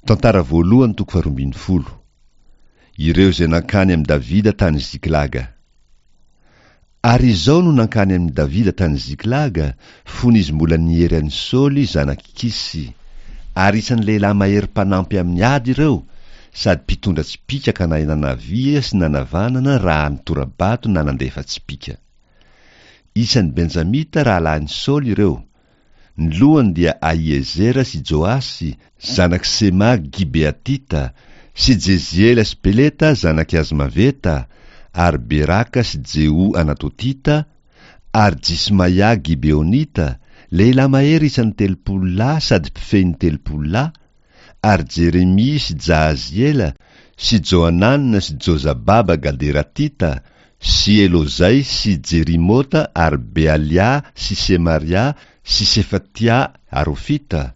Tantara voalohany toko faharoambinifolo. Ireo izay nankany amin'i Davida tany Ziklaga. Ary izao no nankany amin'i Davida tany Ziklaga, fony izy mbola niery an'i Saoly zanak'i Kisy. Ary isan'ny lehilahy mahery mpanampy amin'ny ady ireo, sady mpitondra tsipìka ka nahay nanavia sy nanavanana raha nitora-bato na nandefa tsipìka. Isan'ny Benjamita rahalahin'i Saoly ireo. Ny lohany dia Ahiezera sy Joasy, zanak'i Sema Gibeatita, sy Jeziela sy Peleta zanak'i Azmaveta, ary Beraka sy Jeho Anatotita, ary Jismaia Gibeonita, lehilahy mahery isan'ny 30 lahy sady mpifehy ny 30 lahy, ary Jeremia sy Jahaziela sy Johanana sy Jozababa Gaderatita sy Elozay sy Jerimota ary Bealia sy Semaria sy Sefatia Arofita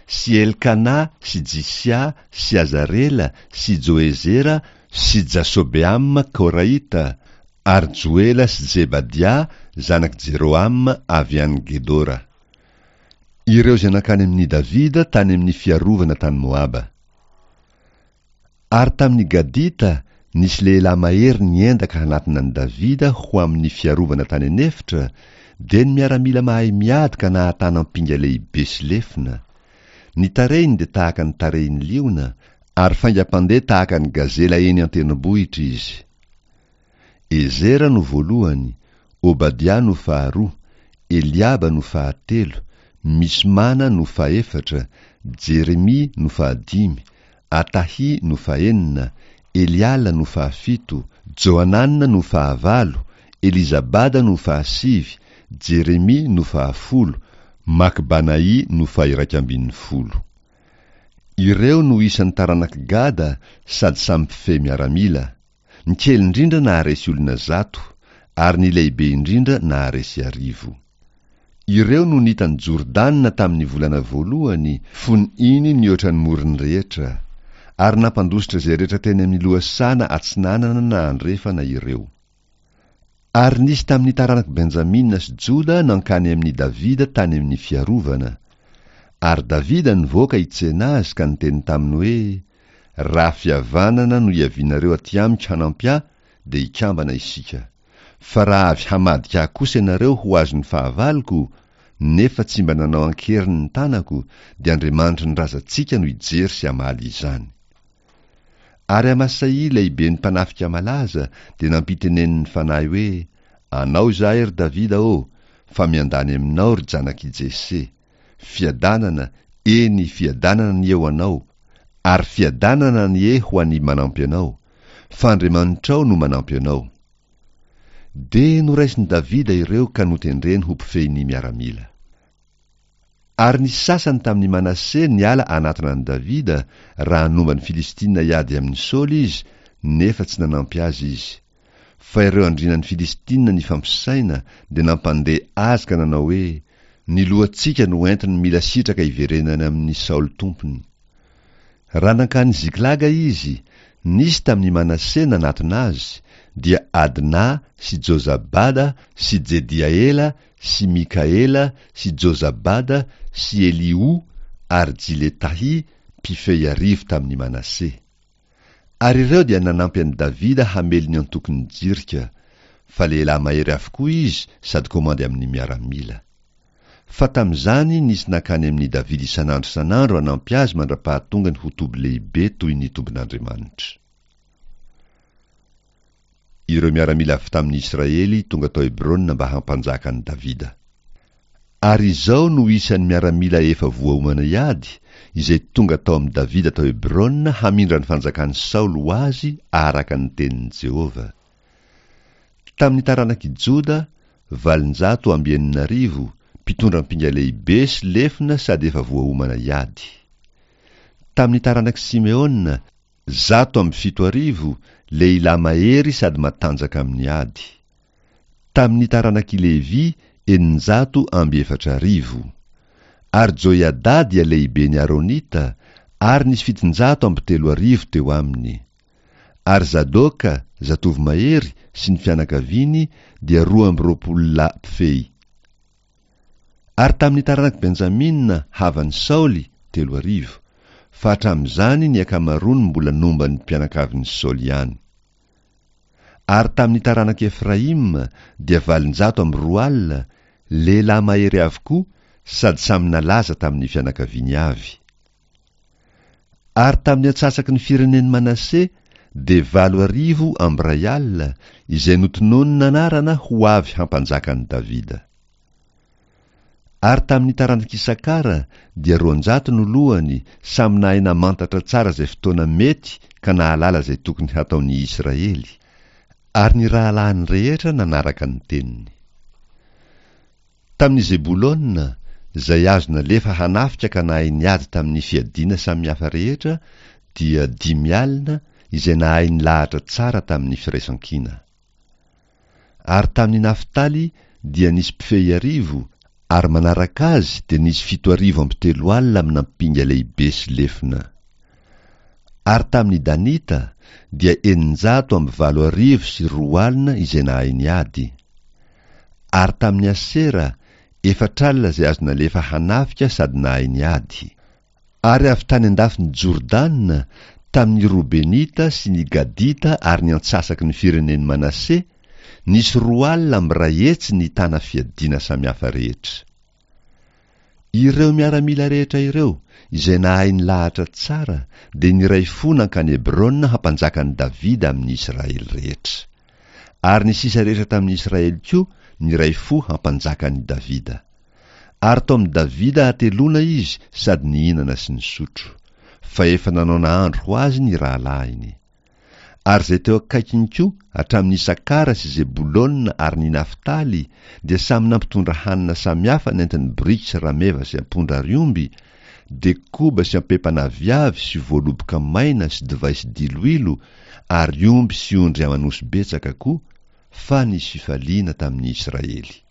sy Elkana sy Jisia sy Azarela sy Joezera sy Jasobeama Koraita ary Joela sy Zebadia zanak'i Jerohama avy any Gedora. Ireo izay nankany amin' i Davida tany amin' ny fiarovana tany Moaba. Ary tamin' ny Gadita nisy lehilahy mahery niendaka hanatona an' i Davida ho amin' ny fiarovana tany an' efitra, dia ny miaramila mahay miady ka nahatana ampinga lehibe sy lefona. Ny tarehiny dia tahaka ny tarehin' ny liona, ary faingam-pandeha tahaka ny gazela eny an-tendrombohitra izy. Ezera no voalohany, Obadia no faharoa, Eliaba no fahatelo, Mismana no fahefatra, Jeremia no fahadimy, Atahy no fahenina, Eliala no fahafito, Johanana no fahavalo, Elizabada no fahasivy, Jeremia no fahafolo, Makbanaì no faha-iraikambinifolo. Ireo no isan'ny taranak'i Gada sady samy mpifehy miaramila. Ny kely indrindra naharesy olona zato, ary ny lehibe indrindra naharesy arivo. Ireo no nita an'i Jordana tamin'ny volana voalohany, fony iny nihoatra ny morony rehetra. Ary nampandositra izay rehetra teny amin'ny lohasaha na atsinanana na andrefana ireo. Ary nisy tamin'ny taranak'i Benjamina sy Joda nankany amin'i Davida tany amin'ny fiarovana. Ary Davida nivoaka hitsena azy ka niteny taminy hoe, Raha fihavanana no hiavianareo aty amiko hanampy ahy, dia hikambana isika. Fa raha avy hamadika ahy kosa ianareo ho azon'ny fahavaloko, nefa tsy mba nanao an-keriny ny tanako, dia Andriamanitry ny razantsika no hijery sy hamaly izany. Ary Amasaia lehiben'ny mpanafika malaza dia nampitenenin'ny Fanahy hoe, Anao izahay, ry Davida ô, fa miandany aminao, ry janak'i Jese. Fiadanana, eny, fiadanana anie ho anao, ary fiadanana anie ho an'ny manampy anao, fa Andriamanitrao no manampy anao. Dia noraisin'i Davida ireo ka notendreny ho mpifehy ny miaramila. Ary nisy sasany tamin'i Manase niala hanatona an'i Davida, raha nomba ny Filistina hiady amin'i Saoly izy, nefa tsy nanampy azy izy. Fa ireo andrianan'ny Filistina nifampisaina dia nampandeha azy ka nanao hoe, Ny lohantsika no entiny mila sitraka hiverenany amin'i Saoly tompony. Raha nankany Ziklaga izy, nisy tamin'i Manase nanatona azy, dia Adna sy Jozabada sy Jediaela sy Mikaela sy Jozabada sy Eliho ary Jiletahy, mpifehy arivo tamin'i Manase. Ary ireo dia nanampy an'i Davida hamely ny antokon'ny jirika, fa lehilahy mahery avokoa izy sady komandy amin'ny miaramila. Fa tamin'izany nisy nankany amin'i Davida isan'andro isan'andro hanampy azy mandra-pahatongany ho toby lehibe toy ny tobin'Andriamanitra. Ireo miaramila avy tamin'ny Israely tonga tao Hebrona mba hampanjaka an'i Davida. Ary izao no isan'ny miaramila efa voaomana hiady, izay tonga tao amin'i Davida tao Hebrona hamindra ny fanjakan'i Saoly ho azy araka ny tenin'i Jehovah. Tamin'ny taranak'i Joda, 6008, mpitondra ampinga lehibe sy lefona sady efa voaomana hiady. Tamin'ny taranak'i Simeona, 7001, lehilahy mahery sady matanjaka amin'ny ady. Tamin'ny taranak'i Levy, 4006. Ary Joiada dia lehiben'ny Aronita, ary nisy 3700 teo aminy. Ary Zadoka, zatovo mahery, sy ny fianakaviany dia 22 lahy mpifehy. Ary tamin'ny taranak'i Benjamina, havan'i Saoly, 3000. fa hatramin'izany ny ankamaroany mbola nomba ny mpianakavin'i Saoly ihany. Ary tamin'ny taranak'i Efraima dia 208, lehilahy mahery avokoa sady samy nalaza tamin'ny fianakaviany avy. Ary tamin'ny antsasaky ny firenen'i Manase dia 1008, izay notononina anarana ho avy hampanjaka an'i Davida. Ary tamin'ny taranak'Isakara dia 200 no lohany, samy nahay namantatra tsara izay fotoana mety ka nahalala izay tokony hataon'ny Israely, ary ny rahalahiny rehetra nanaraka ny teniny. Tamin'i Zebolona, izay azo nalefa hanafika ka nahay niady tamin'ny fiadiana samihafa rehetra, dia 50, izay nahay nilahatra tsara tamin'ny firaisankina. Ary tamin'i Naftaly dia nisy mpifehy arivo, ary manaraka azy dia nisy 370 amin'ampinga lehibe sy lefona. Ary tamin'ny Danita dia 2800 izay nahay niady. Ary tamin'i Asera, 40 izay azo nalefa hanafika sady nahay niady. Ary avy tany an-dafin'i Jordana, tamin'ny Robenita sy ny Gadita ary ny antsasaky ny firenen'i Manase, nisy 320 nitana fiadiana samihafa rehetra. Ireo miaramila rehetra ireo, izay nahay nilahatra tsara, dia niray fo nankany Hebrona hampanjaka an'i Davida amin'ny Israely rehetra. Ary ny sisa rehetra tamin'ny Israely koa niray fo hampanjaka an'i Davida. Ary tao amin'i Davida hateloana izy sady nihinana sy nisotro, fa efa nanao nahandro ho azy ny rahalahiny. Ary izay teo akaikiny koa, hatramin'i Isakara sy Zebolona ary ny Naftaly, dia samy nampitondra hanina samihafa nentin'ny boriky sy rameva sy ampondra ary omby, dia koba sy ampepan'aviavy sy voaloboka maina sy divay sy diloilo ary omby sy ondry aman'osy betsaka koa, fa nisy fifaliana tamin'ny Israely.